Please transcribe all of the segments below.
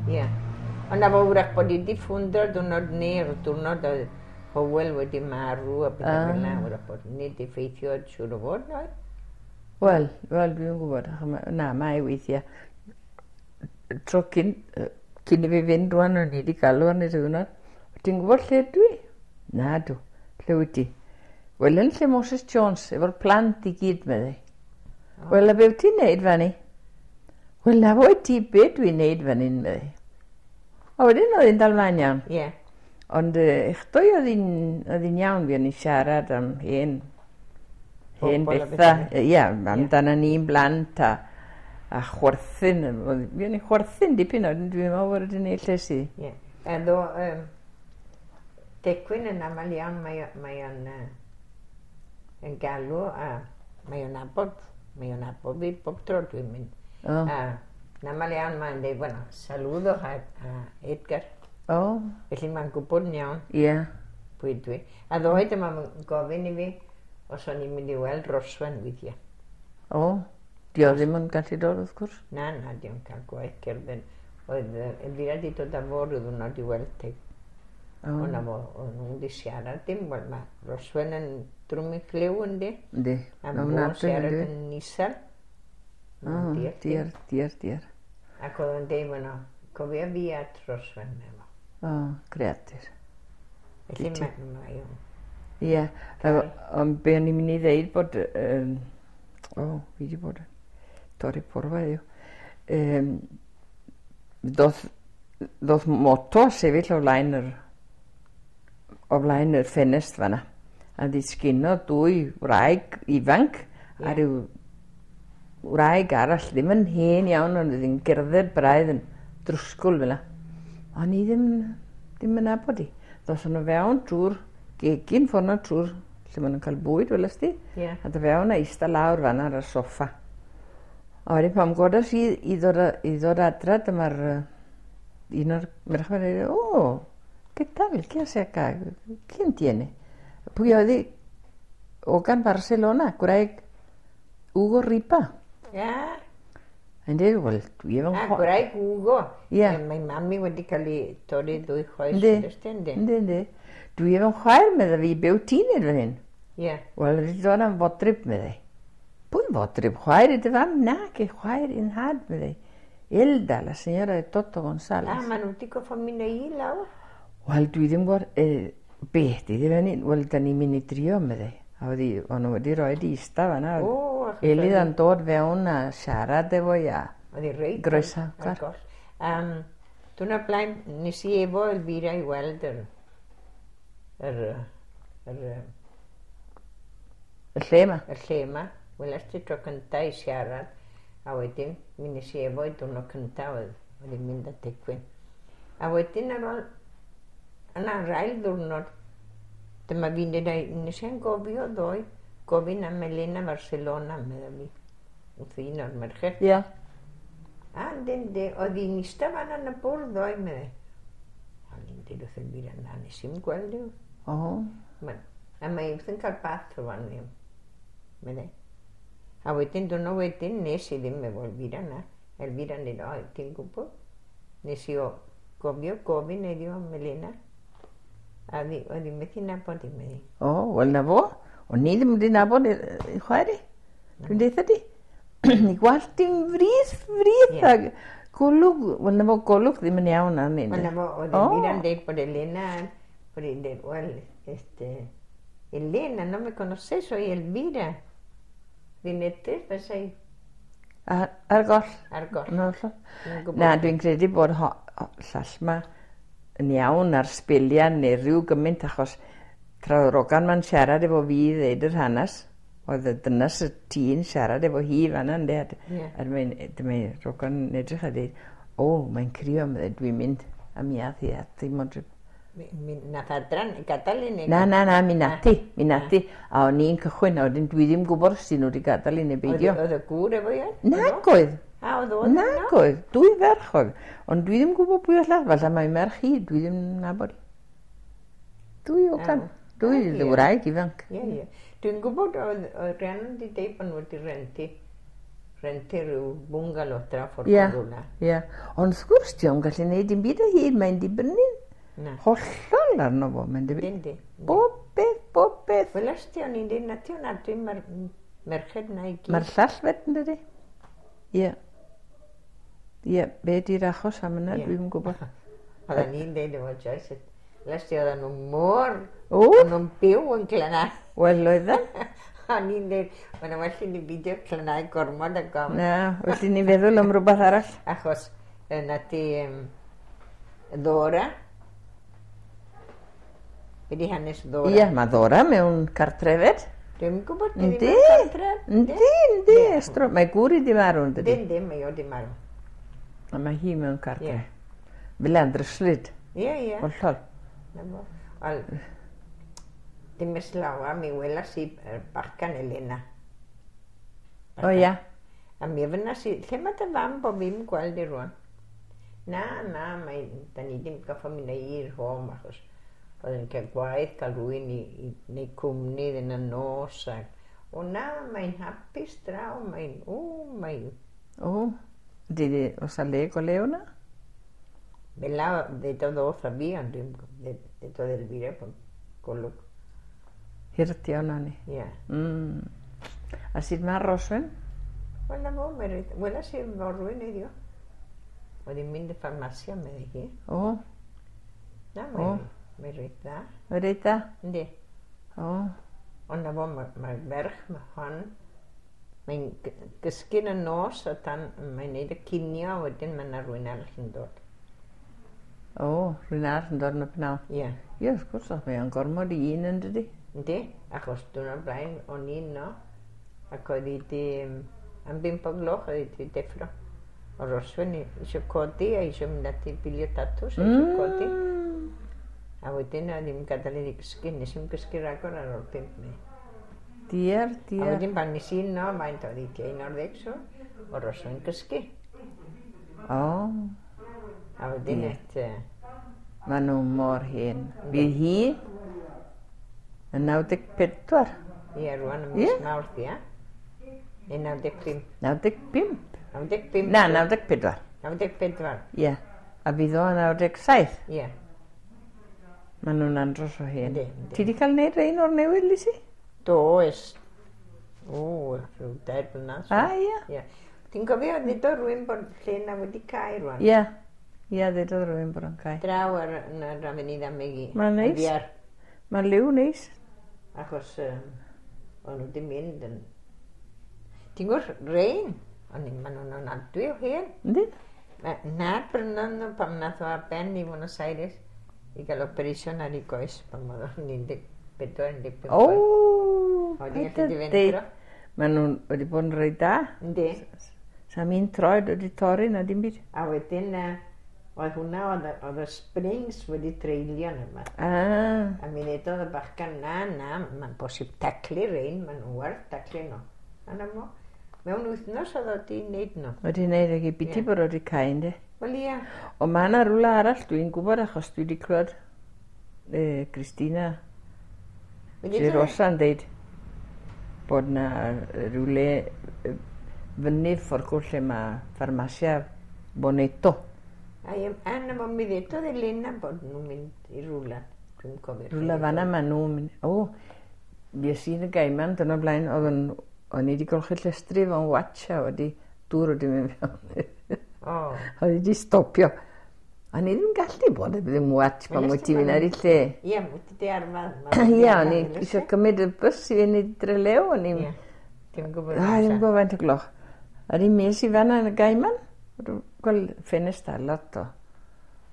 Ie. Ond na fo wrach bod hi 'di ffwndro diwrnod neu'r diwrnod oedd Hywel wedi marw a pethau fel 'na, wrach bod hynny 'di effeithio siŵr o fod, oedd? Wel, wel, dwi'n gwybod, na, mae weithiau. Tro cyn, cyn i fi fynd rwan, o'n i wedi galw arni rhyw ddiwrnod. Ti'n gwybod lle dwi? Na dw. Lle wyt ti? Wel, yn lle Moses Jones, efo'r plant i gyd, meddai. Wel, a be wyt ti'n neud fanny? Wel, na fo i ti be dwi'n neud fan hyn, meddai. A wedyn oedd hi'n dal mlaen iawn. Ie. Ond echdoi oedd hi'n iawn, fi o'n i'n siarad am hen, hen bethau. Ie, amdano ni'n blant a chwerthin. Fi o'n i'n chwerthin dipyn, ond dwi'n meddwl bod wedi gwneud lles i. Ie. A ddo, Tecwyn yn aml iawn, mae o'n yn galw a mae o'n nabod, mae o'n nabod fi bob tro dwi'n mynd. Oh. A yn aml iawn mae'n dweud, bueno, saludo a Edgar. Oh. Felly mae'n gwybod yn iawn. Ie. Yeah. Pwy dwi. A ddoe dyma mae'n gofyn i fi os o'n i'n mynd i weld Roswen weithiau. O, oh, di o ddim yn gallu dod wrth gwrs. Na, na, di o'n cael gwaith cerdded. Oedd Elvira di dod â fo ryw ddwrnod i weld ti. Oh. Ond na fo, o'n nhw'n di siarad dim, wel mae Roswen yn drwm i clyw yndi. Yndi. A fo'n siarad yn isel. O, diar, diar, diar. Ac oedd o'n deud, bueno, cofia fi at Roswen, efo. O, greadur. Felly mae o'n... Ie, ond be o'n i'n mynd i ddeud bod... O, fi wedi bod yn torri porfa heddiw. Ddoth moto a sefyll o flaen yr, o flaen yr ffenest fanna. A ddisgynodd dwy wraig ifanc a rhyw wraig arall, ddim yn hen iawn, ond oedd hi'n gerdded braidd yn drwsgwl fel 'na. O'n i ddim yn nabod hi. Ddothon nhw fewn drwy'r gegin ffordd 'na trwy'r lle maen nhw'n cael bwyd, welest ti? Ie. A do fewn a eistedd lawr fanna ar y soffa. A wedyn pan godes i i ddod adra, dyma'r un o'r merched yn dweud, "O, ¿qué tal? ¿Qué hace acá? ¿Quién tiene?" Pwy oedd hi? Hogan Barcelona, gwraig Hugo Ripa. Ia. A'n dweud, wel, dwi efo'n Ah, gwraig Hugo. Ie. Mae mam i wedi cael ei torri ddwy chwaes. Yndi. Yndi. Yndi, yndi. Dwi efo'n chwaer, medda fi, be wyt ti'n neud fan hyn? Ie. Wel, wedi dod am fodryb, meddai. Pwy fodryb? Chwaer i dy fam? Na, ge chwaer i'n nhad, meddai. Elda, la señora de Toto González. A, maen nhw wedi goffo mynd â hi lawr. Wel, dwi ddim yn gwybod, be di ddim yn un. Wel, da ni'n mynd i drio, meddai. A wedi, o'n nhw wedi rhoi di ista fanna. O, achos Elid yn dod fewn a siarad efo i a Oedd hi reit groesawgar. ar goll. Diwrnod blaen, nes i efo Elvira i weld yr, yr, yr, Y lle yma. y lle yma. Weles ti tro cynta i siarad, a wedyn mi nes i efo i diwrnod cynta oedd hi'n mynd â Tecwyn. A wedyn ar ôl, yna yr ail ddiwrnod, dyma fi'n dweud, nes i'n gofio ddoe, gofyn am Elena Barcelona, medda fi, wrth un o'r merched. Ie. A yndi, yndi, oedd hi'n eistedd fan yn y bwrdd ddoe, meddai. O'n i'n dweud wrth Elvira, na, nes i'm gweld i'w. O. A mae wrth yn cael bath rwan, meddai. A wedyn, diwrnod wedyn, nes i ddim efo Elvira na. Elvira'n dweud, o, ti'n gwybod? Nes i o gofio gofyn heddiw am Elena. A oedd hi methu nabod i, meddai. O, wel na fo. O'n i ddim wedi nabod i chwaer i. Dwi'n deutha di. I gwallt i'n frith, frith. Ie. A golwg, wel na fo, golwg ddim yn iawn arni. Wel na fo, oedd Elvira'n dweud bod Elena, bod hi'n dweud, wel, este, Elena, no me conoces, soy Elvira. Fi'n edrych fysa i Ar goll. Ar goll. No, hollol. Dwi'n gwybod. Na, dwi'n credu bod llall ma yn iawn ar sbeliau neu rhyw gymaint, achos tra oedd Rogan ma'n siarad efo fi i ddeud yr hanes, oedd y dynas y tî'n siarad efo hi fan'na, ynde, a dyma Rogan yn edrych a dweud, o, mae'n crio, meddai, dwi'n mynd, a mi ath hi at ei modryb. Mi nath adran gadael i ni? Na, na, na, mi nath hi, mi nath hi. A o'n i'n cychwyn, a wedyn dwi ddim gwybod os 'dyn nhw wedi gadael i neu beidio. Oedd y gŵr efo i? Nag oedd. A, oedd o ddim yno? Nag oedd, dwy ferch oedd. Ond dwi ddim gwybod pwy oedd llall, falle mai merch hi, dwi ddim yn nabod hi. Dwy o gan, dwy wraig ifanc. Ie, ie. Dwi'n gwybod oedd Rhiannon wedi deud bod nhw wedi rentu Rhentu rhyw bungalow draw ffordd Ie. rhywle. Ie. Ond wrth gwrs, di o'n gallu neud dim byd o hyd, mae'n dibynnu Na. hollol arno fo, mae'n dibynnu. Yndi. Bob beth, bob beth. Wel, os ti o'n i'n dweud, na ti o'n adwy mae'r merched na i gyd. Mae'r llall fed yn dydi? Ie. Ie, be di'r achos am yna, Ie. dwi'm yn gwybod. Oedden ni'n dweud efo Joyce, les ti oedden nhw mor, O, oedden nhw'n byw yn Clynau. wel oedden. O'n i'n dweud, mae'n well i ni beidio Clynau gormod a gofn. Na, well i ni feddwl am rhywbeth arall. Achos na ti Ddora. Be di hanes Ddora? Ie, mae Ddora mewn cartrefed. Dwi'm yn gwybod, di Yndi, ddim yn cartre. yndi, yndi. Estro. Mae gŵr i di marw, yn dydi? Dim, dim, mae o di marw. A mae hi mewn cartre. Ie. Fel yn dryslyd, Ie, ie. hollol. Na fo. Wel, dim ers lawer, mi welas i yr bachgan Elena. O ia. A mi ofynnas i, lle mae dy fam bod fi'n gweld i rwan? Na, na, mae, da ni ddim goffo mynd i'r home achos oedd yn cael gwaith, cael rhywun i wneud cwmni iddyn y nos. Ac, o na, mae'n hapus draw, mae'n, o, mae'n... O, di, di, oes a le go lew na? Fel la, ddedodd o wrtha fi, ond dwi'n ddedodd Elvira bod golwg. Hirdio na ni. Ie. A sut mae Roswen? Wel, na fo, mae reit... Welas i forwyn heddiw. Oedd hi'n mynd i ffarmasia, meddai hi. O, Na, O. mae reit dda. mae reit dda. Yndi. O, Ond na fo, mae ferch, mae hon, mae'n gysgu yn y nos o dan, mae'n neud y cinio, a wedyn mae yna rhywun arall yn dod. o, rhywun arall yn dod yn y pnawn. Ie. Ie, wrth gwrs, mae o'n gormod i un yn dydi. Yndi, achos diwrnod blaen o'n i'n no, ac oedd hi di, am 5 o gloch oedd hi di deffro. O Roswen eisiau codi a eisiau mynd ati bilio tatws, a eisiau codi. A wedyn oedd hi'n gadael iddi gysgu, nes i'm gysgu ragor ar ôl 5 mi. Diar, A diar. wedyn pan nes i no, faint oedd hi tua 11 so, o Roswen gysgu. O, A wedyn et, maen nhw mor hen. Fydd hi yn 94. ie, rwan ym Ie. mis Mawrth, ia. Neu 95. 95. 95. Na, 94. 94, Ie. A fydd o yn 97. ie. Maen nhw'n andros o hen. Yndi, yndi. Ti di cael neud rhain o'r newydd, Lisi? Do, ers, o, rhyw 3 blynedd. so. A, ie. Ie. Ti'n cofio, ddudodd rhywun bod lle na wedi cau rwan? Ie. Ie, ddudodd rhywun bod o'n cau. Draw ar yn yr Avenida Megi. Ma'n neis. Yn ddiar, Mae'n liw neis. Achos o'n nhw wedi mynd yn... Ti'n gwybod, rein, o'n i'n maen nhw'n ofnadwy o hen. Yndi? Na'r brynon nhw pan nath o ar ben i Buenos Aires i gael operation ar ei goes pan oedd o'n 14, 15 O! Oedd hi'n paid gallu â difentro. deud. Maen nhw'n wedi bod yn reit da. Yndi. Sam un troed wedi torri na dim byd. A wedyn, oedd hwnna, oedd y springs wedi treulio yn yma. Ah, A mi ddedodd y bachgan, na, na, mae'n bosib taclu rein, maen nhw werth taclu nhw. A na mo, mewn wythnos oedd o di wneud nhw. wedi wneud ag i biti Ie. bod wedi cau, yndi? Wel ia, Ond mae yna rhywle arall dwi'n gwybod achos dwi wedi clywed Christina Wedi Girosa yn deud bod na rhywle fyny ffordd lle mae ffarmasia Bonetto. A ie, a na mo, mi ddedodd Elena bod nhw'n mynd i rhywle. Dwi'n cofio. Rhywle fanna maen nhw'n mynd. O, fues i yn y gaiman dyna blaen, oedd yn, o'n i wedi golchi llestri fo'n watch a wedi dŵr wedi mynd fewn. O, Oedd wedi stopio. A ni ddim gallu bod heb ddim watch pan Wel, wyt ti'n mynd ar ei lle. ie, wyt ti di arfer. ma' wedi Ie, arfer, o'n i fel eisiau ys e? cymryd y bws i fynd i Drelew, o'n i'n... Ie, dim gwybod. A, ddim gwybod faint o gloch. A ni mes i fanna yn y gaiman. Gweld ffenest ar lot o.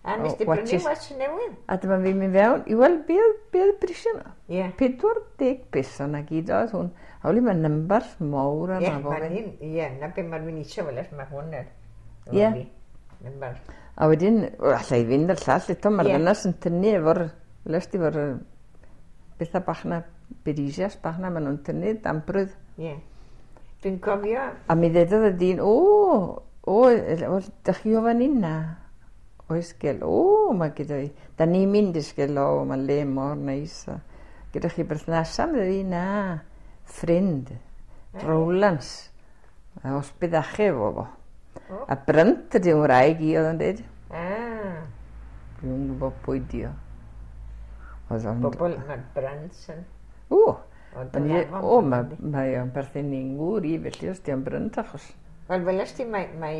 A nes o, di brynu watches. watch newydd? A dyma fi'n mynd fewn, i weld be oedd be oedd brisio nhw. Ie. 40 punt na gyd oedd hwn. A oli mae numbers mawr Ie, arno fo. ma'n hyn, ie, na be mae'r fi'n eisiau fel mae hwn er. Ie. Number. A wedyn, o, alla i fynd ar llall eto, mae'r Ie. ddynas yn tynnu efo'r, les di efo'r bethau bach na, berisias bach na, maen nhw'n tynnu damprwydd. Ie. Dwi'n cofio, A mi ddedodd y dyn, o, o, wel, dych chi o fan hyn na? Oes gel, o, mae gyda fi. Da ni'n mynd i sgel, o, mae le mor neis. A gyda chi berthnasau, mi ddeud, na, ffrind, Rowlands. A hospedaje fo fo. A brynt ydy ngwraig i oedd yn dweud. Ah. Dwi'n gwybod pwy di o. Oedd o'n... Bobl, mae'r Brynts yn... O! O, mae o'n perthyn i'n ngŵr i, felly os di o'n brynt achos. Wel, weles ti, mae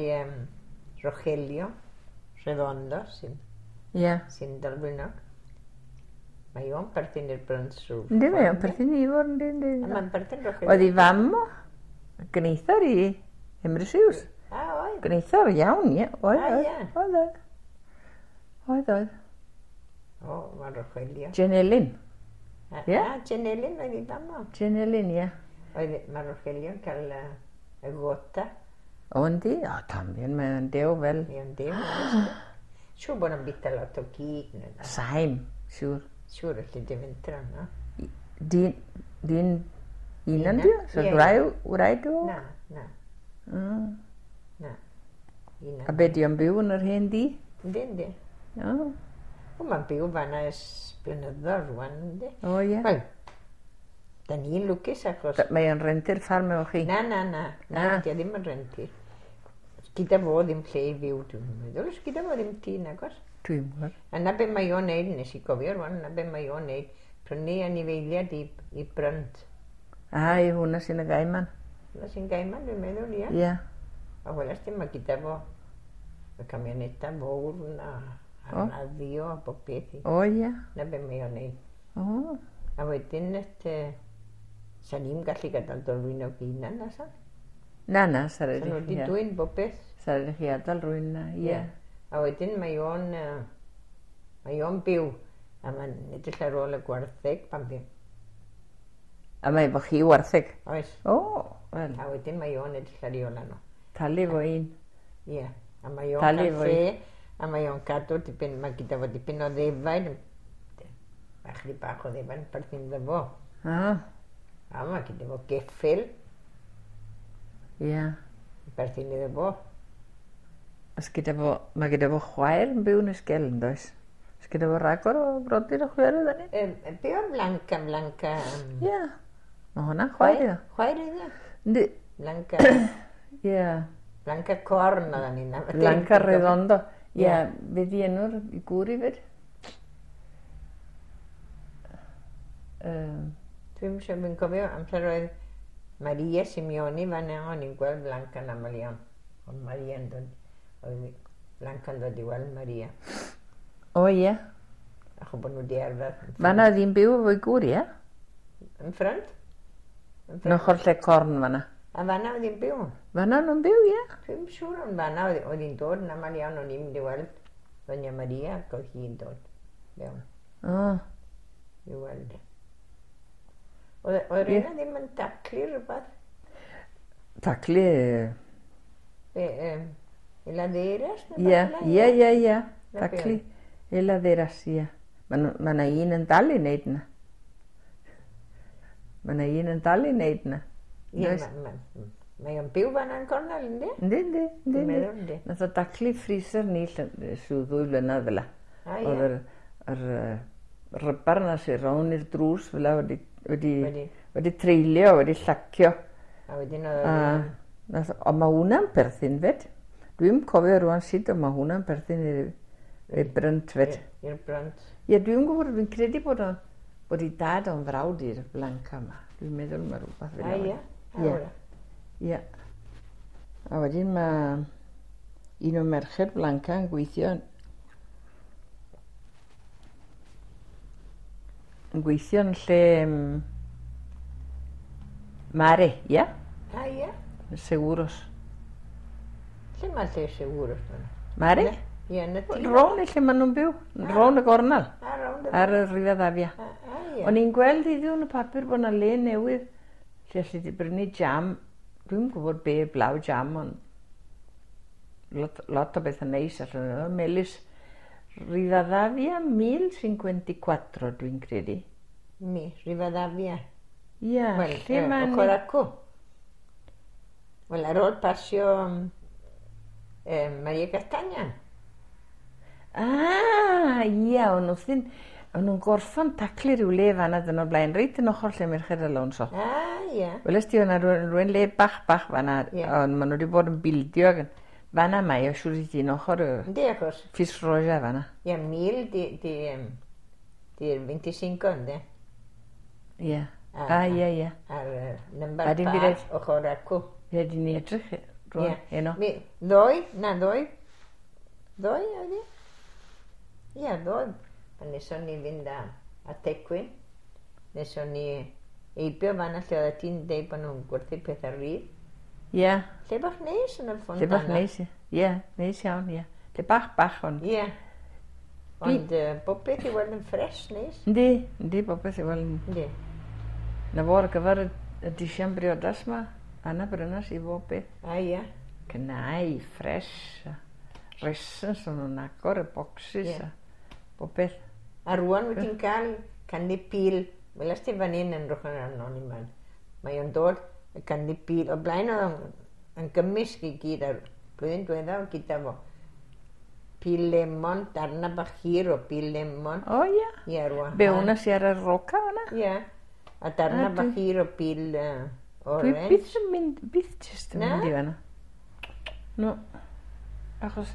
Rogelio Redondo sy'n sy'n Dolgwynog. Mae o'n perthyn i'r Brynts rhyw. Yndi, mae o'n perthyn i fod, yndi, yndi. A mae'n perthyn Rogelio. Oedd i fam o, gneithar i Emrys Hughes. A, oedd? Gneithar iawn, ie. Oedd, oedd. Oedd, oedd. Oedd, oedd. O, mae Rogelio. Jenelyn. Ie? A, Jenelyn oedd i fam o. Jenelyn, ie. Oedd, mae Rogelio'n cael y gota. O, yndi? O, también, mae'n dew fel. Mae'n dew. Siŵr bod o'n bita lot o gig. Saim, siŵr. Siŵr allu di fentra, no? Dyn un di? So wraig o? Na, na. Na. A be di o'n byw yn yr hen di? Yndi, yndi. O. O, mae'n byw fan'na ers blynyddoedd rwan, yndi? O, ie. Wel, da ni'n lwcus achos... Mae o'n rentu'r ffarm efo chi? Na, na, na. Na, di o ddim yn rentu. Gyda fo ddim lle i fyw, dwi'n meddwl. Os gyda fo ddim tŷ, nagos? Dwi'n gwybod. A na be mae o'n neud, nes i gofio rwan, na be mae o'n neud, prynu anifeiliaid i brynt. A, i hwnna sy'n y gaiman. Hwnna sy'n gaiman, dwi'n meddwl, ie. Ie. A welas di, mae gyda fo y camioneta fawr na, a radio a bob beth. O, ie. Na be mae o'n neud. O. A wedyn, sa'n ni'n gallu gadael Dolwynog hunan, na san? Na, na, sa'n rhaid i chi. Sa'n nhw wedi dwyn bob beth. Sa'n rhaid i chi adael rhywun na, ie. A wedyn mae o'n byw, a mae'n edrych ar ôl y gwartheg pan byw. A mae efo chi wartheg? Oes. O, wel. A wedyn mae o'n edrych ar ei ôl nhw. Talu fo un. Ie, a mae o'n cael lle, a mae o'n cadw dipyn, mae gyda fo dipyn o ddefaid, bach rhy bach o ddefaid yn perthyn iddo fo. A mae gyda fo geffyl. Ie. Perthyn iddo fo. Os gyda fo, mae gyda fo chwaer yn byw yn Ysgel, yn does? Os gyda fo ragor o brodyr o chwaerydd yn un? Be o'r Blanca, Blanca... Ie. Mae hwnna'n chwaer iddo. Chwaer iddo? Yndi. Blanca... Ie. Blanca Corn oedd ni'n... Blanca Redondo. Ie. Be di enw'r gŵr i fyd? Dwi'n siŵr, fi'n cofio amser oedd Maria Simeoni fan yna, o'n i'n gweld Blanca yn aml iawn. Ond Maria yn dod... Oedd Blanca yn dod i weld Maria. O, ie. Achos bod nhw wedi arfer. Fan'na oedd hi'n byw efo'i gŵr, ie? Yn ffrynt? Yn ochr lle corn fan'na. A fan'na oedd hi'n byw? Fan'na nhw'n byw, ie. Dwi'n siŵr ond fan'na oedd hi'n dod yn aml iawn, o'n i'n mynd i weld Doña Maria ac oedd hi'n dod mewn. O. I weld. Oedd rheina ddim yn taclu rhywbeth? Taclu? Be, heladeras? Ie, ie, ie, ie. Taclu heladeras, ie. Mae yna un yn dal i wneud yna. Mae yna un yn dal i wneud yna. Ie, mae o'n byw fan yn cornel, yndi? Yndi, yndi, yndi. Nath o daclu freezer ni rhyw 2 flynedd fel 'a. Oedd yr rybar yna sy'n rown i'r drws fel 'a wedi treulio, wedi llacio. A wedyn oedd... Ond mae hwnna'n perthyn fyd. Dwi'n cofio rwan sut, ond mae hwnna'n perthyn i'r brynt fyd. I'r brynt. Ie, dwi'n gwybod, dwi'n credu bod o'n, bod i dad o'n frawd i'r Blanca yma. Dwi'n meddwl mae rhywbeth fel yna. A ie? Ie. Ie. A wedyn mae un o merched Blanca yn gweithio yn lle Mare, ie? A ie? Seguros. Lle mae lle Seguros? Mare? Ie, yn y tŷ. Rown i lle maen nhw'n byw. Rown y gornel. A rown y gornel. Ar y Rivadavia. A ie. O'n i'n gweld heddiw yn y papur bod yna le newydd lle allu di brynu jam. Dwi'n gwybod be blaw jam, ond lot o bethau neis allan yno. Melys Rivadavia 1054, dwi'n credu. Mi, Rivadavia. Ie, lle mae'n... Ochr acw. Wel, ar ôl pasio Maria Castaña. Ah, ie, ond wrthyn... O'n nhw'n gorffan taclu rhyw le fan'na dyn o'r blaen, reit yn ochr lle Merched Alonso. Ah, ie. Weles ti o'na rhywun le bach bach fan'na, ond maen nhw wedi bod yn bildio ac fan'na mae o siŵr i ti yn ochr y Yndi, achos Ffis Roja fan'na. Ie, 1000 di 25, yndi? Ie. Ah, ie, ie. Ar number pa ochr acw. Ie, di ni edrych rwan, heno. Mi, ddoe, na ddoe, ddoe oedd hi? Ie, ddoe. Pan neson ni fynd â Tecwyn, neson ni heibio fan'na lle oeddet ti'n deud bod nhw'n gwerthu pethau rhydd. Ie. Lle bach neis yn y Fontana. Lle bach neis, ie. Neis iawn, ie. Lle bach bach, ond... Ie. Ond bob beth i weld yn ffres, neis. Yndi, yndi, bob beth i weld yn... Yndi. Na fo ar gyfer y disian briodas ma, Anna brynas i bob beth. A ie. Cnau, ffres, a resins o'n nhw'n agor y boxes a bob beth. A rwan wyt ti'n cael candy peel, welas ti fan hyn yn rhywbeth arno ni man. Mae o'n dod y candy peel, o blaen oedd o'n yn gymysg i gyd a'r blwyddyn diwetha oedd gyda fo. Peel lemon, darna bach hir o peel lemon. O ie. Ie, rwan. Be hwnna sy ar y roca fan'na? Ie. A darna bach hir o peel orange. Dwi byth yn mynd, byth jyst yn mynd i fan'na. No. Achos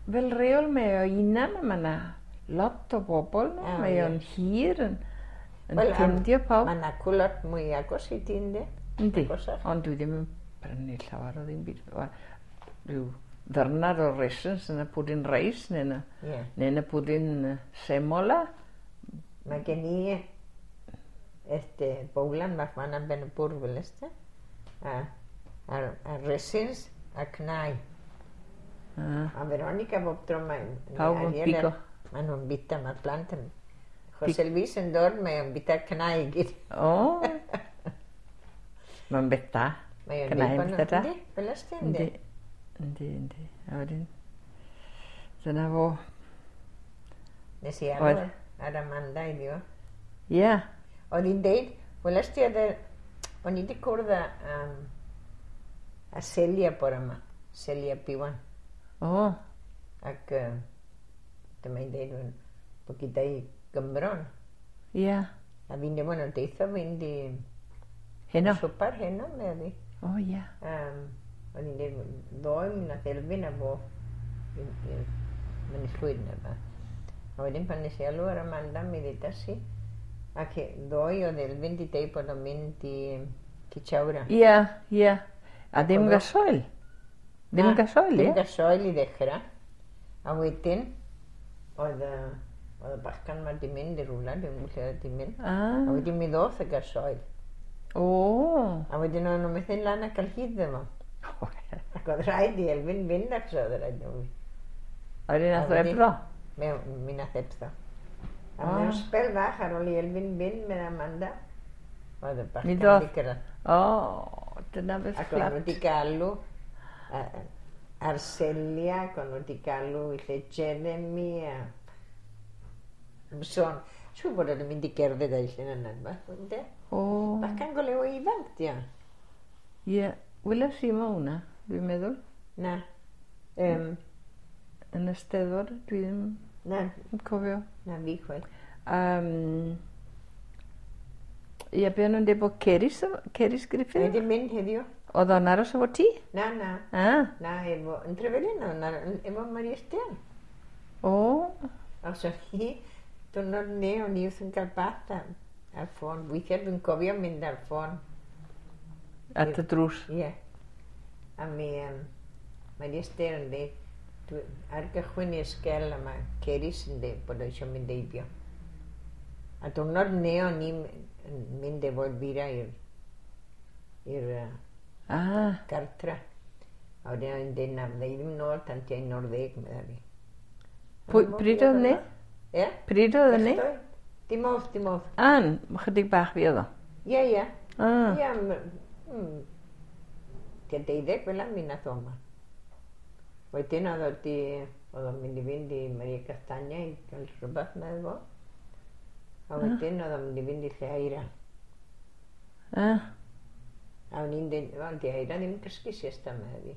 fel reol mae o unan a mae 'na lot o bobl no. Mae o'n hir yn ffindio pawb. Mae 'na lot mwy agos i ti, yndi? Yndi, ond dwi ddim yn prynu llawer o ddim byd. Rhyw ddyrnad o raisins yn y pwdin reis neu yn y, neu yn y pwdin semola. Mae gen i este bowlan bach fan am ben y bwrdd fel este. A raisins a cnau. A Veronica bob tro mae'n... Pawb yn pigo. Maen nhw'n bita, mae'r plant yn... José Luis yn dod, mae o'n bita cnau i gyd. O! Mae'n beth da. Mae o'n Cnau yn beth da. Yndi, fel ysdi, yndi. Yndi, yndi. A wedyn, dyna fo. Nes i alw ar Amanda iddi o. Ie. Oedd hi'n deud, weles ti oedd o'n i wedi cwrdd â Celia bore yma, Celia Piwan. O. Ac dyma hi'n deud bod gyda hi Gymron. Ie. A fi'n dweud, nhw'n deitha fynd i... Heno? Swpar heno, meddi. O, ie. O'n i'n dweud, ddoe mi nath Elfyn a fo i'r Mynydd Llwyd neu ba. A wedyn pan nes i alw ar Amanda, mi ddeudais i. Ac ddoe oedd Elfyn di deud bod o'n mynd i Citsawra. Ie, ie. A ddim gasoil. Ddim gasoil, ie? Ddim gasoil i ddechrau. A wedyn, oedd y bachgan ma di mynd i rhywle, dwi'n gwybod lle oedd di mynd. A wedyn mi ddoth y gasoil. O! A wedyn o'n nhw'n methu lan ac cael hyd efo. Ac oedd rhaid i Elfyn fynd ac so oedd rhaid i nhw. A wedyn nath o ebro? Mi nath ebro. A mewn sbel fach ar ôl i Elfyn fynd mewn Amanda, oedd y bachgan di gyrraedd. O, dyna beth fflat. Ac o'n nhw wedi galw Arcelia, ac o'n nhw wedi galw i lle Jeremy a... Son, siŵr bod o'n mynd i gerdded a'i llun yna, ynddo? O. Bachgan go lew o ifanc, di o. Ie, weles i mo hwnna, dwi'n meddwl. Na. Yn y Steddfod, dwi ddim yn cofio. Na, fi chwaith. Ie, be o'n nhw'n dweud bod Ceris, Ceris Griffith? Wedi mynd heddiw. Oedd o'n aros efo ti? Na, na. Na, efo, yn Trefelin oedd o'n efo Maria Sten. O. Os oedd hi, diwrnod ne, o'n i wrth yn cael bath ar ffôn. Weithiau dwi'n cofio mynd ar ffôn. At y drws? Ie. A mi, Maria Sten yn dweud, ar gychwyn i'r sgel a mae Ceris yn dweud bod o eisiau mynd eibio. A diwrnod ne o'n i'n mynd efo Elvira i'r gartra. A wedyn o'n i'n dweud na, fydda i ddim nôl tan tua 11, medda fi. Pryd oedd ni? Ie? Pryd oedd ni? Dim off, dim off. An, chydig bach fi oedd o? Ie, ie. Ie, tua 12 fel mi nath o yma. Wedyn oedd o'n mynd i fynd i Maria Castagna i gael rhywbeth meddwl fo. A wedyn oedd o'n mynd i fynd i lle Aira. A o'n i'n dweud, wel, di Aira ddim cysgu siesta, medda fi.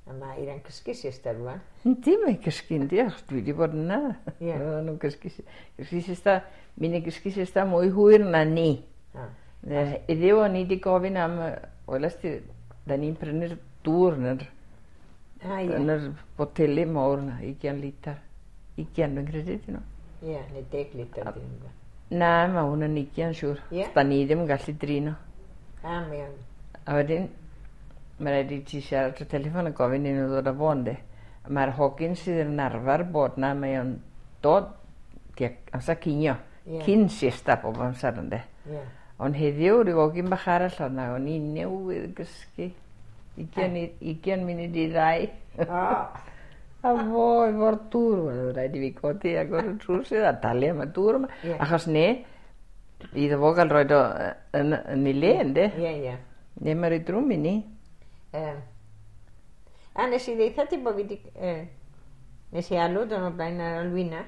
A mae Eira'n cysgu siesta rwan. Yndi, mae'n cysgu, yndi, achos dwi wedi bod yna. Ie. Oedden nhw'n cysgu, cysgu siesta, mynd i gysgu siesta mwy hwyr na ni. Ah. Iddiw o'n i wedi gofyn am, weles ti, da ni'n prynu'r dŵr yn yr, Ah, ie. yn yr boteli mawr yna, 20 litr. 20 dwi'n credu, dyn nhw. Ie, neu 10 litr dyn nhw. Na, mae hwn yn 20 siŵr. Ie? Da ni ddim yn gallu drin o. Ah, mae o'n... A wedyn, mae rhaid i ti siarad trwy teleffon a gofyn i nhw ddod â fo, yndi. Mae'r hogyn sydd yn arfer bod na, mae o'n dod tuag amser cinio. Ie. Cyn siesta bob amser, yndi. Ie. Ond heddiw, rhyw hogyn bach arall oedd na, o'n i newydd gysgu. 20 munud i 2. O! A fo efo'r dŵr, wel, oedd rhaid i fi godi agor y drws iddo a talu am y dŵr yma. Ie. Achos ne, iddo fo gael roed o yn ei le, yndi? Ie, ie. Ne, mae'n rhaid drwm i ni. A nes i ddeitha ti bod fi di... Nes i alw dyn o blaen ar Alwina.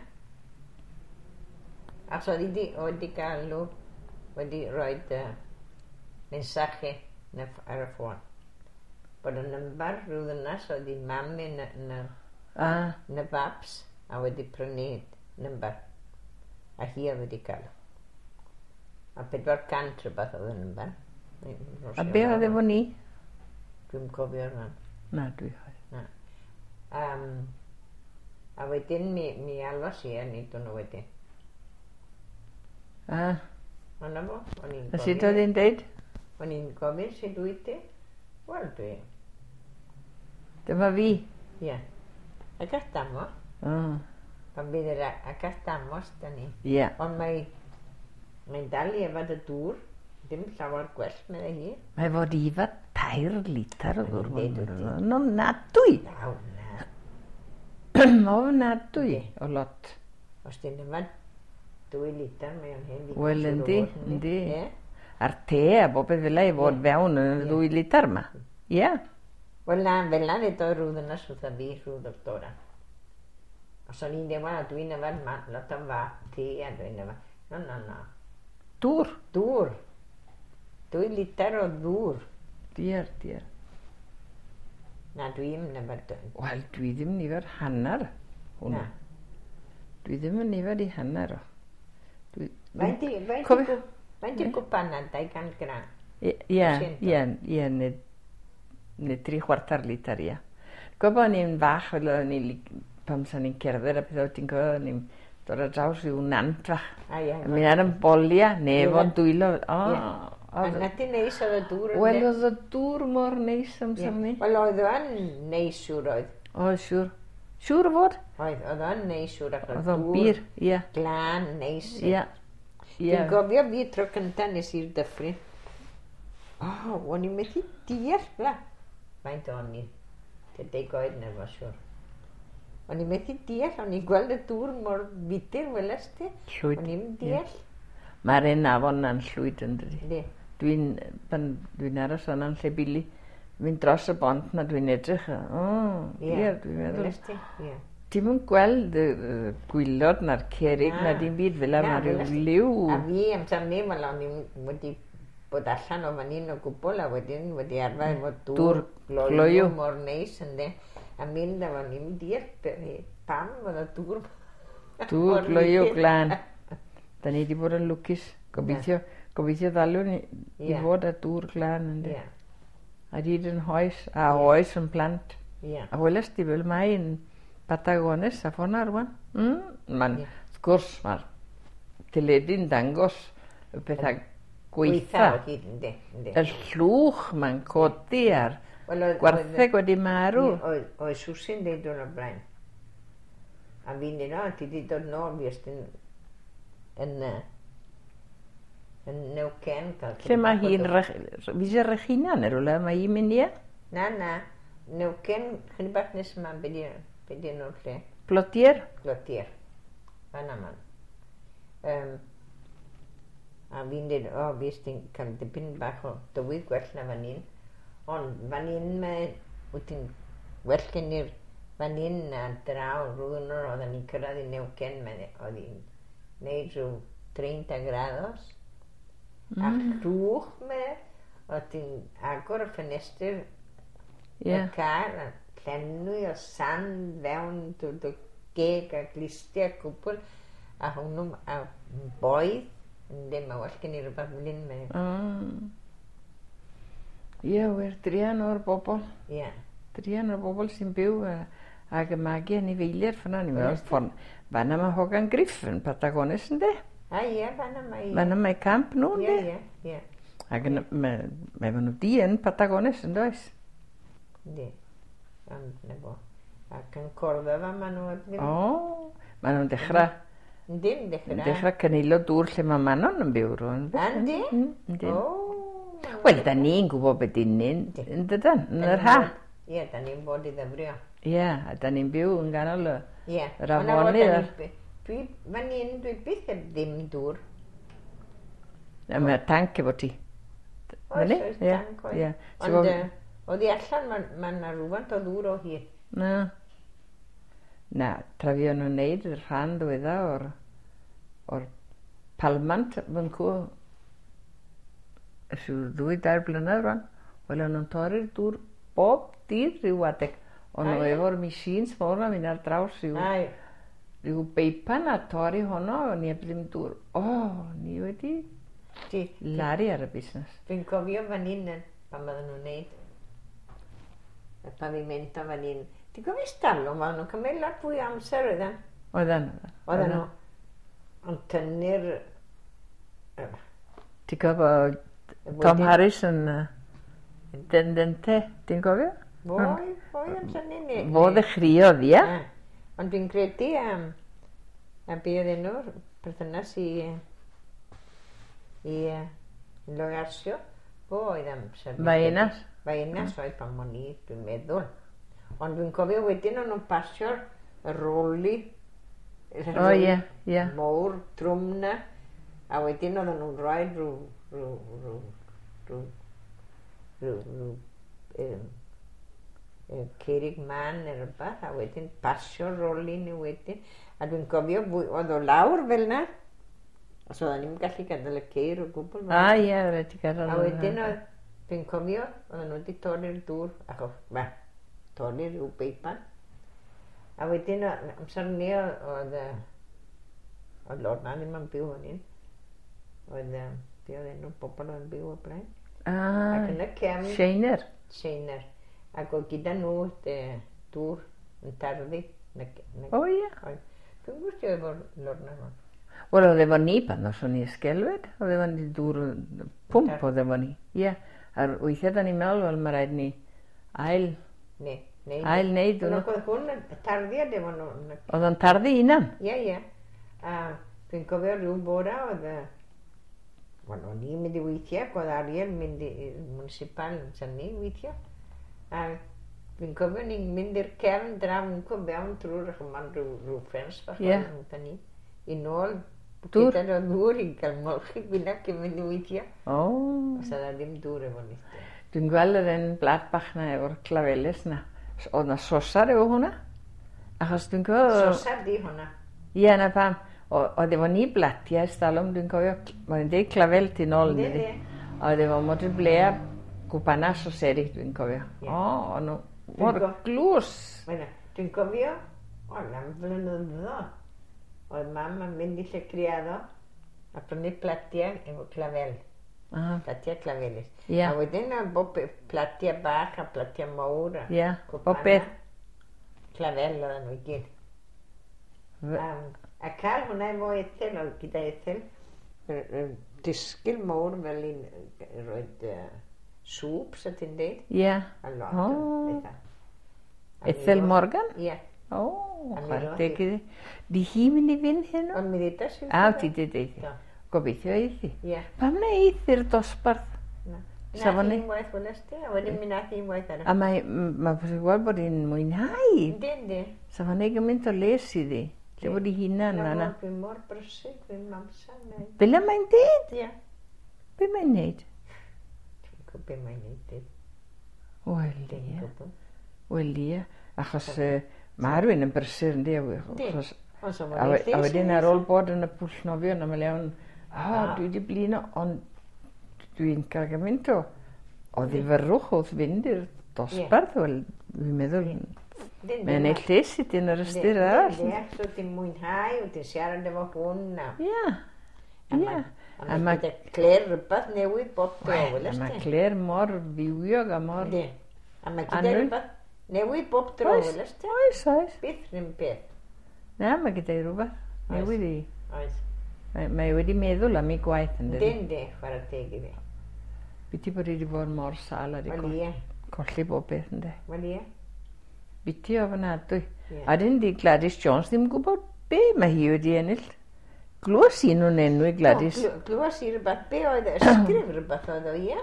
Achos oedd hi di, oedd di galw, wedi rhoi mensaje yn ar y ffôn. Bod y nymbar rhyw ddynas oedd hi mam yn, yn, y, yn y babs a wedi prynu nymbar. A hi oedd wedi cael. A 400 rhywbeth oedd y nymbar. A be oedd efo ni? Dwi'm cofio rwan. Na, dwi chwaith. Na. A wedyn mi alwas i a nid nhw wedyn. A, Ond na fo, o'n i'n a sut oedd hi'n deud? O'n i'n gofyn sut wyt ti? Wel, dwi. Dyma fi. Ie. Ac estamos. Pan bydd yr ac estamos, da ni. Ie. Ond mae'n dal i yfed y dŵr. Dim llawer gwell, meddai hi. Mae fod i yfed 3 litr o ddŵr. Mae'n deud wyt ti. Yn ofnadwy. Na, na. Ofnadwy o lot. Os ti'n yfed 2 litr, mae o'n hen ddigon. Wel, siŵr o yndi, fod, yndi. Ie. A'r te a bob peth fel 'na i fod fewn yn y 2 litr yma. Ie. Wel na, fel na ddedodd rhyw ddynas wrtha fi, rhyw ddoctora. Os o'n i'n dweud, wel, dwi'n yfed lot o te a dwi'n yfed. No, no, no. Dŵr. Dŵr. 2 litr o ddŵr. Diar, diar. Na, dwi'n yfed. Wel, dwi ddim yn yfed hanner hwnnw. Na. Dwi ddim yn yfed i hanner o. Faint i, faint i, faint i gwpanad, 200 gram? Ie, ie, ie, neu 3/4 litr, ie. Gwybod bod ni'n fach, fel oedden ni, pan sa'n ni'n cerdded a pethau, ti'n gwybod, o'n ni'n dod ar draws rhyw nant fach. A ie. A mynd ar yn bolia, neu efo'n dwylo. O, A na ti neis oedd y dŵr. Wel, oedd y dŵr mor neis amser ni. Wel, oedd o'n neis siŵr oedd. Oedd, siŵr. Siŵr o fod. Oedd, oedd o'n neis siŵr. Oedd o'n bir, ie. Glân, neis. Ie. Dwi'n gofio fi tro cyntaf nes i'r dyffryn. O, o'n i'n methu deall, bla. Faint o'n i? Tua 10 oed neu rhywbeth, siŵr. O'n i'n methu deall, o'n i'n gweld y dŵr mor fudur, weles ti? Llwyd. O'n i'n deall. Mae'r un afon na'n llwyd yn dydi. Yndi. Dwi'n aros yna'n lle bili. Mynd dros y bont na dwi'n edrych. O, ie, dwi'n meddwl. Weles ti? Ie. Ti'm yn gweld y gwylod na'r cerrig na dim byd fel 'na, mae rhyw liw. A fi amser 'ny, wel o'n i'n wedi bod allan o fan hyn o gwbl a wedyn wedi arfer efo dŵr gloyw mor neis ynde. A mynd a o'n i'n deall pam oedd y dŵr Dŵr gloyw glân. Da ni wedi bod yn lwcus. Gobeithio, gobeithio ddalwn ni i fod â dŵr glân ynde. A hyd yn hoes, a oes yn plant. A weles di fel mae yn Patagones a ffona rwan. Ma'n, wrth gwrs, mae'r teledu'n dangos y pethau gweitha. Gweitha o hyd, yndi, yndi. Y llwch mae'n codi a'r gwartheg wedi marw. Oedd Susi'n deud o'n o blaen. A fi'n dweud, o, ti wedi dod nôl, fi ystyn yn yn Neuquén. Lle mae hi'n... Fi eisiau Regina neu rhywle, mae hi'n mynd i? Na, na. Neuquén, chydig bach nes yma, be di enw'r lle? Plotier? Plotier. Fan yma. A fi'n dweud, o, fi ystyn cael dipyn bach o dywydd gwell na fan hyn. Ond fan hyn mae, wyt ti'n well gen i'r fan hyn na draw rhywun o'r oedden ni'n cyrraedd i Neuquén, oedd hi'n neud rhyw 30 grados. A llwch me, oedd ti'n agor y ffenestr y car, a llenwi o sand fewn dy geg a glustiau cwbl, a hwnnw, a boedd, yndi, mae well gen i rhywbeth fel hyn. Ie, wir, druan o'r bobl. Ie. Druan o'r bobl sy'n byw ac y magu anifeiliaid ffyna. Ni'n meddwl, ffordd, fanna mae Hogan Griff yn Patagones, ynddi? A ie, fanna mae... Fanna mae camp nhw, ynddi? Ie, ie, ie. Ac mae nhw di yn Patagones, yn does? Yndi. Ond, na fo. Ac yn Córdoba maen nhw ddim... O, maen nhw'n dechrau... Yndi, yn dechrau. Yn dechrau cynilo dŵr lle mae Manon yn byw rwan. Yndi? Yndi. O. Wel, da ni'n gwybod beth dyn ni'n, yn dydan, yn yr ha. Ie, da ni'n bod i ddyfrio. Ie, a da ni'n byw yn ganol yr afonydd. Dwi, fan hyn, dwi byth heb ddim dŵr. A mae tanc efo ti. Oes, oes, tanc oes. Ond oddi allan, mae yna rhywfaint o ddŵr o hyd. Na. Na, tra fi o'n nhw'n neud y rhan ddiwedda o'r palmant fan cw ers rhyw 2-3 blynedd rwan. Wel, o'n nhw'n torri'r dŵr bob dydd rhyw adeg. O'n nhw efo'r machines mawr 'na mynd ar draws rhyw beipan a torri honno, o'n i heb ddim dŵr. O, ni wedi laru ar y busnes. Dwi'n cofio fan hyn pan oedden nhw'n neud y pavimento fan hyn. Ti'n cofio stalwm, oedden nhw'n cymryd lot fwy o amser oedden? Oedden. Oedden nhw yn tynnu'r... Ti'n cofio Tom Harris yn Dendente, ti'n cofio? Foi amser ni. Fo ddechreuodd, ie. Ond dwi'n credu a be oedd enw'r perthynas i Logarsio, fo oedd amser. Baenas. Baenas oedd pan o'n i, dwi'n meddwl. Ond dwi'n cofio wedyn o'n nhw'n pasio'r roli. O, ie, ie. Mowr, trwm na. A wedyn oedden nhw'n rhoi rhyw cerig man neu rhywbeth, a wedyn pasio'r roli ni wedyn. A dwi'n cofio, oedd o lawr fel na. Os oedden ni'n gallu gadael y ceir o gwbl. A ie, rhaid i gadael. A wedyn oedd, dwi'n cofio, oedden nhw wedi torri'r dŵr, achos, torri rhyw beipan. A wedyn, amser ni oedd Lorna ddim yn byw fan hyn. Oedd, be oedd enw bobl oedd yn byw o blaen. Ac yn y cefn... Sheiner. Sheiner. Ac oedd gyda nhw dŵr yn tarddu. O ie. Dwi'n gwybod efo Lorna hwn. Wel, oedd efo ni pan os o'n i ysgelwyd. Oedd efo ni dŵr pwmp oedd efo ni. Ie. A'r weithiau da ni'n meddwl, wel, mae rhaid ni ail... Ne, ail neud hwnnw. Oedd hwn yn tarddiad efo nhw. Oedd o'n tarddu unan? Ie, ie. A dwi'n cofio rhyw bora oedd... Wel, o'n i'n mynd i weithio, ac oedd Ariel mynd i'r municipal amser ni weithio. A dwi'n cofio ni'n mynd i'r cefn draw yn fewn trwy'r chymon rhyw ffens bach oedd ni. I nôl gyda'r o ddŵr i gael molchi gwyneb cyn mynd i weithio. O. Os oedd ddim dŵr efo ni. Dwi'n gweld yr un blad bach na efo'r clafelys na. Oedd na sosar efo hwnna. Achos dwi'n cofio... Sosar di hwnna. Ie, na pam. Oedd efo ni blatiau estalwm, dwi'n cofio, mae'n deud clafel tu nôl. Yndi. Oedd efo modr blea gwpana soseri, dwi'n cofio. O, o'n nhw mor glws. Dwi'n cofio, o'n am flynyddoedd, oedd mam yn mynd i lle criado a prynu platiau efo clafel. Platiau clafelys. A wedyn oedd bob platiau bach a platiau mawr a bob beth. Clafel oedden nhw i gyd. A cael hwnna efo Ethel, oedd gyda Ethel, disgyl mawr fel un roed sŵp, sa ti'n deud. Ie. A lot o bethau. Ethel Morgan? Ie. O, chwarae teg iddi. Di hi mynd i fynd heno? Ond mi ddeudais i. A, ti di deud. Gobeithio eithi. Ie. Pam na eith i'r dosbarth? Na. Nath un waith weles ti, a wedyn mi nath un waith arall. A mae posib gweld bod hi'n mwynhau. Yndi, yndi. Sa fo'n neud gymaint o les iddi. Lle bod hi hunan fan'na. Dwi'n mor brysur, dwi'n amser. Fel y mae'n deud? Ie. Be mae'n neud? Dwi'n gwybod be mae'n neud. Wel, ie. Wel, ie. Achos mae rhywun yn brysur, yndi? A wedyn ar ôl bod yn y pwll nofio, na mae'n iawn, o, dwi wedi blino, ond dwi'n cael gymaint o ddifyrrwch wrth fynd i'r dosbarth. Wel, Dwi'n meddwl, mae'n ei lles i dyn yr ystyr arall. Ie, so ti'n mwynhau, wyt ti'n siarad efo hwn. Ie, ie. A mae Claire rhywbeth newydd bob tro, welest ti? Mae Claire mor fywiog a mor... Yndi. A mae gyda rhywbeth newydd bob tro, welest ti? Oes, oes. Byth rhywun peth. Na, mae gyda i rhywbeth newydd i... Oes. Mae wedi meddwl am ei gwaith, yn dydi? Yndi, yndi, chwarae teg iddi. Biti bod hi wedi bod mor sâl a wedi colli bob beth, ynddi? Wel ie. Biti ofnadwy. A dyn di Gladys Jones ddim gwybod be mae hi wedi ennill. Glywes i nhw'n enwi Gladys. O, glywes i rhywbeth, be oedd e, ysgrif rhywbeth oedd o, ie?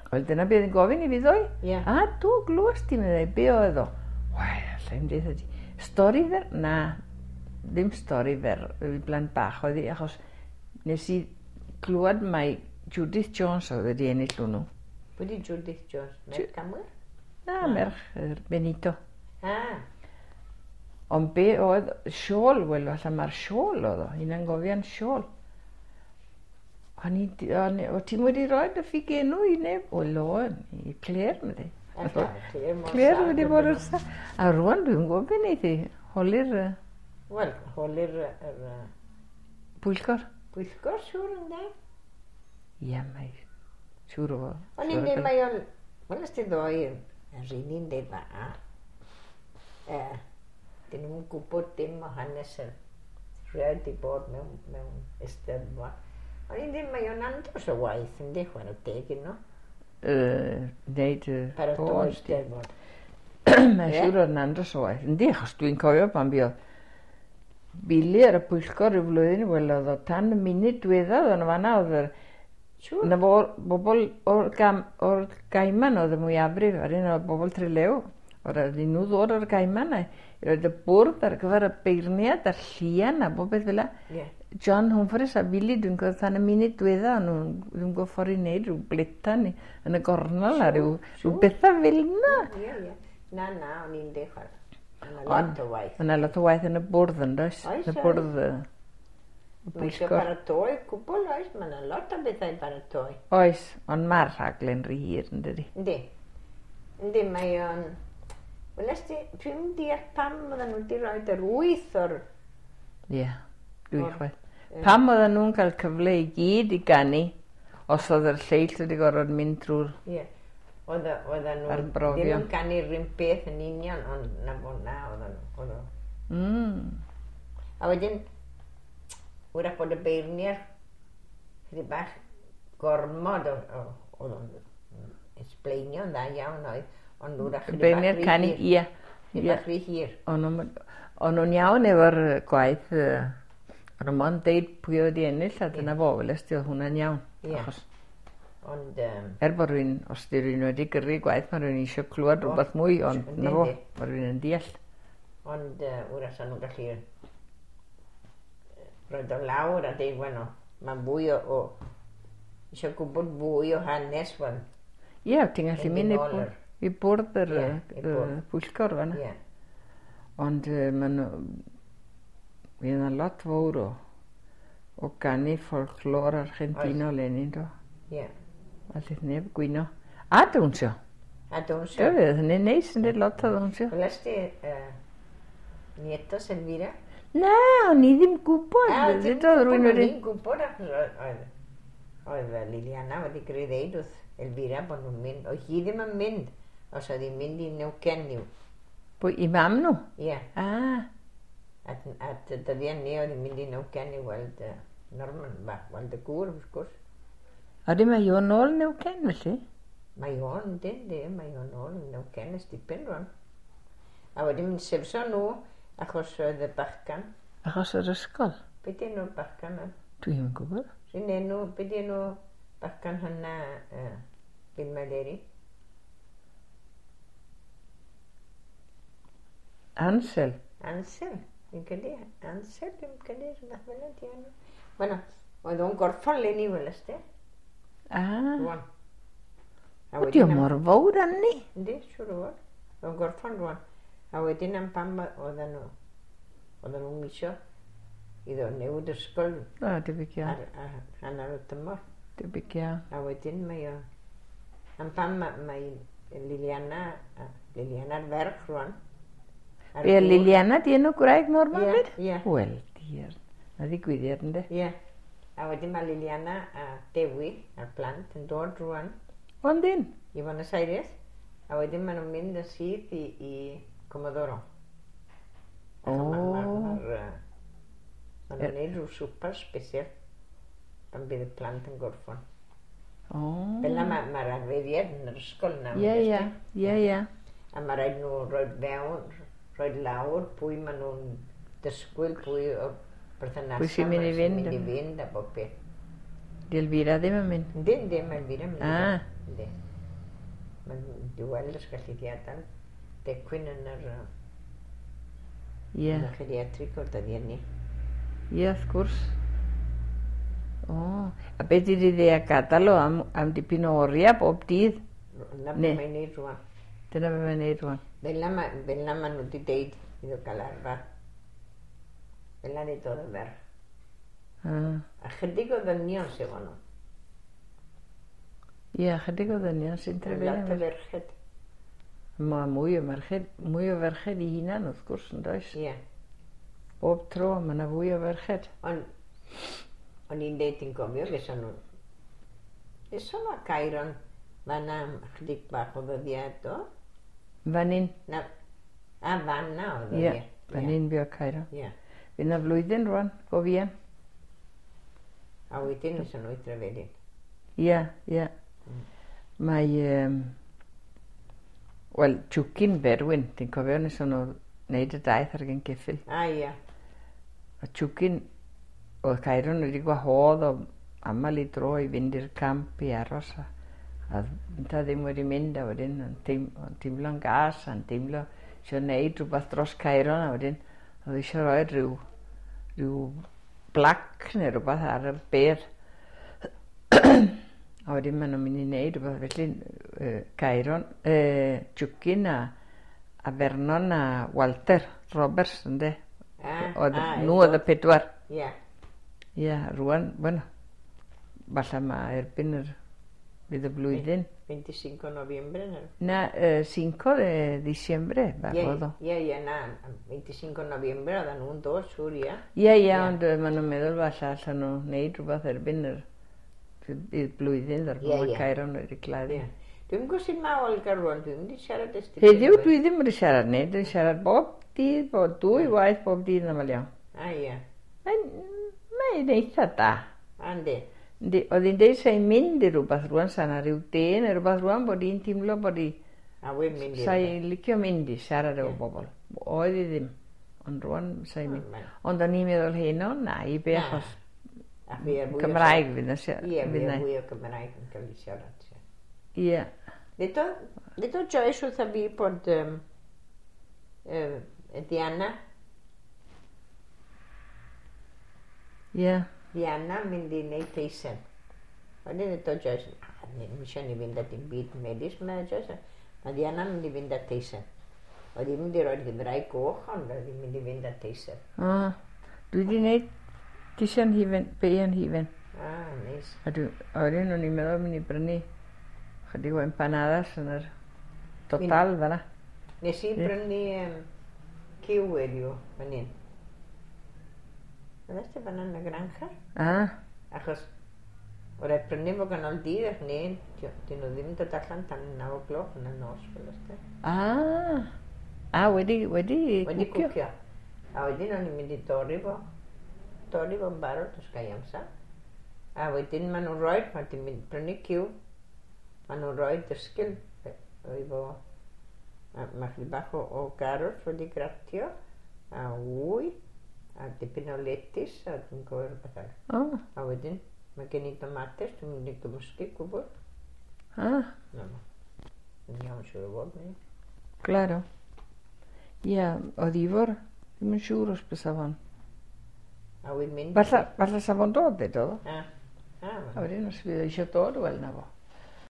Wel, dyna beth yn gofyn i fi ddoe. Ie. A do, glywes ti, meddai, be oedd o? Wel, alla i'm deutha ti. Stori fer? Na, ddim stori fer, i blant bach oedd hi, achos nes i glywed mai Judith Jones oedd wedi ennill hwnnw. Pwy di Judith Jones? Merch Camwyr? Na, merch Benito. Ah. Ond be oedd siôl, wel, falle mae'r siôl oedd o, hunan gofiant siôl. O'n i, o ti'n wedi rhoi dy ffugenw i neb? Wel, o'n, i Claire, meddai. Claire wedi bod yn sa. A rwan dwi'n gwybod beth wneith i, holi'r... Wel, holi'r... Pwyllgor. Pwyllgor, siŵr ynddo? Ie, mae... Siŵr o fod. O'n i'n dweud, mae o'n... Wel, ys ti ddoe, yr un i'n dweud fa. Dyn nhw'n gwybod dim o hanes yr rhaid di bod mewn eisteddfod. O'n i'n dweud, mae o'n andros o waith, yndi, chwarae teg i nhw. Wneud y... Paratoi eisteddfod. Mae'n siŵr o'n andros o waith. Yndi, achos dwi'n cofio pan buodd Billy ar y pwyllgor ryw flwyddyn, wel, oedd o tan y munud diwethaf oedd o'n fanna, oedd yr... Na fo, bobl o'r Gaiman oedd y mwyafrif, ar un o'r bobl Trelew. Oedd rhaid nhw ddod o'r Gaiman a i roed y bwrdd ar gyfer y beirniad a'r llian a bob beth fel 'na. John Humphreys a Billy, dwi'n gwybod tan y munud diwetha, o'n nhw'n ddim gwybod ffordd i wneud rhyw bletan yn y gornel a rhyw bethau fel 'na. Ie, ie. Na, na, o'n i'n dechrau. Yna lot o waith. Yna lot o waith yn y bwrdd yn does? Oes, Y bwrdd y Mae eisiau pwyllgor. paratoi cwbl, oes, mae yna lot o bethau i paratoi. Oes, ond mae'r rhaglen rhy hir yn dydi? Yndi. Yndi, mae o'n... Wel, ti, dwi'n deall pam oedden nhw wedi rhoi yr 8 o'r... Ie, dwi'n chwaith. Pam oedden nhw'n cael cyfle i gyd i ganu, os oedd yr lleill wedi gorfod mynd drwy'r... Ie, oedden nhw Arbrofion. ddim yn canu'r un peth yn union, ond na fo na oedden nhw. A wedyn, wrach bod y beirniad chydig bach gormod oedd o'n esbleinio'n dda iawn oedd, ond wrach chydig bach Beirniad canu, ie. Chydig bach rhy hir. O'n nhw'n iawn efo'r gwaith, o'n nhw'n mond deud pwy oedd wedi ennill, a dyna fo, welest ti, oedd hwnna'n iawn. Ie. Ond... Er bod rhywun, os di rhywun wedi gyrru gwaith, mae rhywun eisiau clywed rhywbeth mwy, ond na fo, mae rhywun yn deall. Ond wrach sa'n nhw'n gallu roed o lawr a deud, bueno, mae'n fwy o eisiau gwybod fwy o hanes, wan. Ie, ti'n gallu mynd i bwrdd yr pwyllgor fan'na. Ie. Ond maen nhw... Fydd yna lot fawr o ganu folklor Argentino eleni, do. Ie. Allith neb gwyno. A dawnsio. A dawnsio. Do, fydd hynny'n neis yn dweud lot o ddawnsio. Welest ti Nietos Elvira? Na, o'n i ddim gwybod. A, ti'n Ddudodd rhywun gwybod, o'n wedi... i'n gwybod achos oedd Liliana wedi greu ddeud wrth Elvira bod nhw'n mynd. Oedd hi ddim yn mynd os oedd hi'n mynd i Neuquén i'w. Pwy, i mam nhw? Ie. Ah. At y dyddiau ni oedd hi'n mynd i Neuquén i weld Norman, weld y gŵr, wrth gwrs. A di mae o'n ôl Neuquén, felly? Mae o'n, yndi, yndi, mae o'n ôl yn Neuquén ers dipyn rwan. A wedyn mynd sefso nhw, achos oedd y bachgan. Achos yr ysgol? Be di enw'r bachgan yna? Dwi'm yn gwybod. Rhywun enw, be di enw bachgan hynna, Bill Maleri? Ansel. Ansel, fi'n credu. Ansel, fi'n credu, rhywbeth fel yna, di enw. Bueno, oedd o'n gorffan leni, welest ti? Ah. Rwan. Ydy o mor fawr arni? Yndi, siŵr o fod. Oedd o'n gorffan rwan. A wedyn am pam oedden nhw'n misio iddo newid ysgol. O, debyg iawn. Ar hanner y tymor. Debyg iawn. A wedyn mae o... Am pam mae Liliana Liliana'r ferch rwan. Be, Liliana di enw gwraig Norman fyd? Ie. Wel, diar. Na ddigwyddiad, ynddo? Ie. A wedyn mae Liliana a Dewi a'r plant yn dod rwan. O, yndyn? I Buenos Aires. A wedyn maen nhw'n mynd yn syth i Comodoro. O. Maen nhw'n neud rhyw swper special pan bydd y plant yn gorffon. O. Fel na mae'r arferiad yn yr ysgol na. Ie, ie. Ie, ie. A mae rhaid nhw rhoi fewn, rhoi lawr pwy maen nhw'n dysgwyl, pwy o'r berthnasau. Pwy sy'n mynd i fynd. Mynd i fynd a bob peth. Di Elvira ddim yn mynd? Yndi, yndi, mae Elvira yn mynd. Ah. Yndi. Mae'n di weld os gallu di adael decwyn yn yr... Ie. Yn y geriatrig o'r dyddiau ni. Ie, wrth gwrs. O, a beth ydy dde a gadael o am dipyn o oriau bob dydd? Na beth mae'n neud rwan. Dyna beth mae'n neud rwan. Fel na maen nhw wedi deud iddo gael arfer. Fel na ddodd y ferch. A chydig o ddynion sydd efo nhw. Ie, chydig o ddynion sy'n trefelu. Lot o ferched. Mae mwy o merched, mwy o ferched i hunan wrth gwrs, yn does? Ie. Bob tro, mae yna fwy o ferched. Ond, o'n i'n deud yn gofio, geson nhw. Geson nhw a Cairon, fan'na am chydig bach o ddyddiau do. Fan hyn? Na, a fan'na oedd o, ie. Fan hyn fuo Cairon. Ie. Fydd yna flwyddyn rwan, go fuan. A wedyn nes nhw i Drefelin. Ie, ie. Mae, wel, Tiwcyn Berwyn, ti'n cofio nes nhw wneud y daith ar gen ceffyl. A ie. A Tiwcyn, oedd Cairon wedi gwahodd o aml i dro i fynd i'r camp i aros. A ynta ddim wedi mynd, a wedyn o'n teimlo'n gas, a'n teimlo eisiau gwneud rhywbeth dros Cairon, a wedyn oedd eisiau rhoi rhyw blac neu rhywbeth ar y bedd. A wedyn maen nhw'n mynd i wneud rhywbeth felly, Cairon, Tiwcyn a Vernon a Walter Roberts, ynde? Nhw oedd y pedwar. Ie. Ie, rwan, bueno, falle mae erbyn yr, fydd y blwyddyn. 25 noviembre, no? Na, 5 de diciembre, oedd o. Ie, ie, na, 25 noviembre oedden nhw'n dod, siŵr, ie. Ie, ie, ond maen nhw'n meddwl falle allan nhw wneud rhywbeth erbyn yr blwyddyn, ddarfod mae Cairon wedi gladdu. Dwi'n gwybod sut mae Olga rwan, dwi'n mynd i siarad ers Heddiw dwi ddim wedi siarad neu, dwi'n siarad bob dydd, bob dwy waith bob dydd yn aml iawn. A ie. Mae'n eitha da. A yndi. Yndi, oedd hi'n deud sa'n mynd i rhywbeth rwan, sa'n rhyw de neu rhywbeth rwan, bod hi'n teimlo bod hi... A wy'n mynd i. Sa'n licio mynd i siarad efo bobl. Oedd hi ddim, ond rwan sa'n mynd. Ond o'n i'n meddwl heno, na, i be achos Cymraeg fydd na. Ie, fi a fwy o Cymraeg yn cael ei siarad. Ie. Ddedodd Joyce wrtha fi bod Diana. Ie. Diana mynd i wneud teisen. Wedyn ddedodd Joyce, ddim eisiau ni fynd at dim byd medis, mae Joyce. Mae Diana mynd i fynd at teisen. Oedd hi'n mynd i roi'r Gymraeg goch, ond oedd hi'n mynd i fynd at teisen. O, dwi wedi gwneud teisen hufen, beian hufen. Ah, neis. A wedyn o'n i'n meddwl mynd i brynu chydig o empanadas yn yr total fan'na. Nes i brynu cyw heddiw fan hyn. Oedd e fan'na yn y granja? Ah. Achos oedd rhaid prynu fo ganol dydd ac neu, dyn nhw ddim yn dod allan tan 9 o'clock yn y nos fel ysde. Ah. Ah, wedi wedi cwcio. A wedyn o'n i'n mynd i dorri fo. Torri fo'n barod os gai amser. A wedyn maen nhw'n rhoi, pan ti'n mynd prynu cyw, maen nhw'n rhoi dysgil efo, mae chydig bach o garot wedi gratio, a wy, a dipyn o letys, a dwi'n gofio rhywbeth arall. Oh. A wedyn, mae gen i tomates, dwi'n mynd i gymysgu gwbl. Ah. Na, yn iawn siŵr o fod, neu? Claro. Ie, oedd Ifor, ddim yn siŵr os bysa fo'n. A wy'n mynd... Falle sa fo'n dod, ddedodd o. Ah. A wedyn os fydd eisiau dod, wel na fo.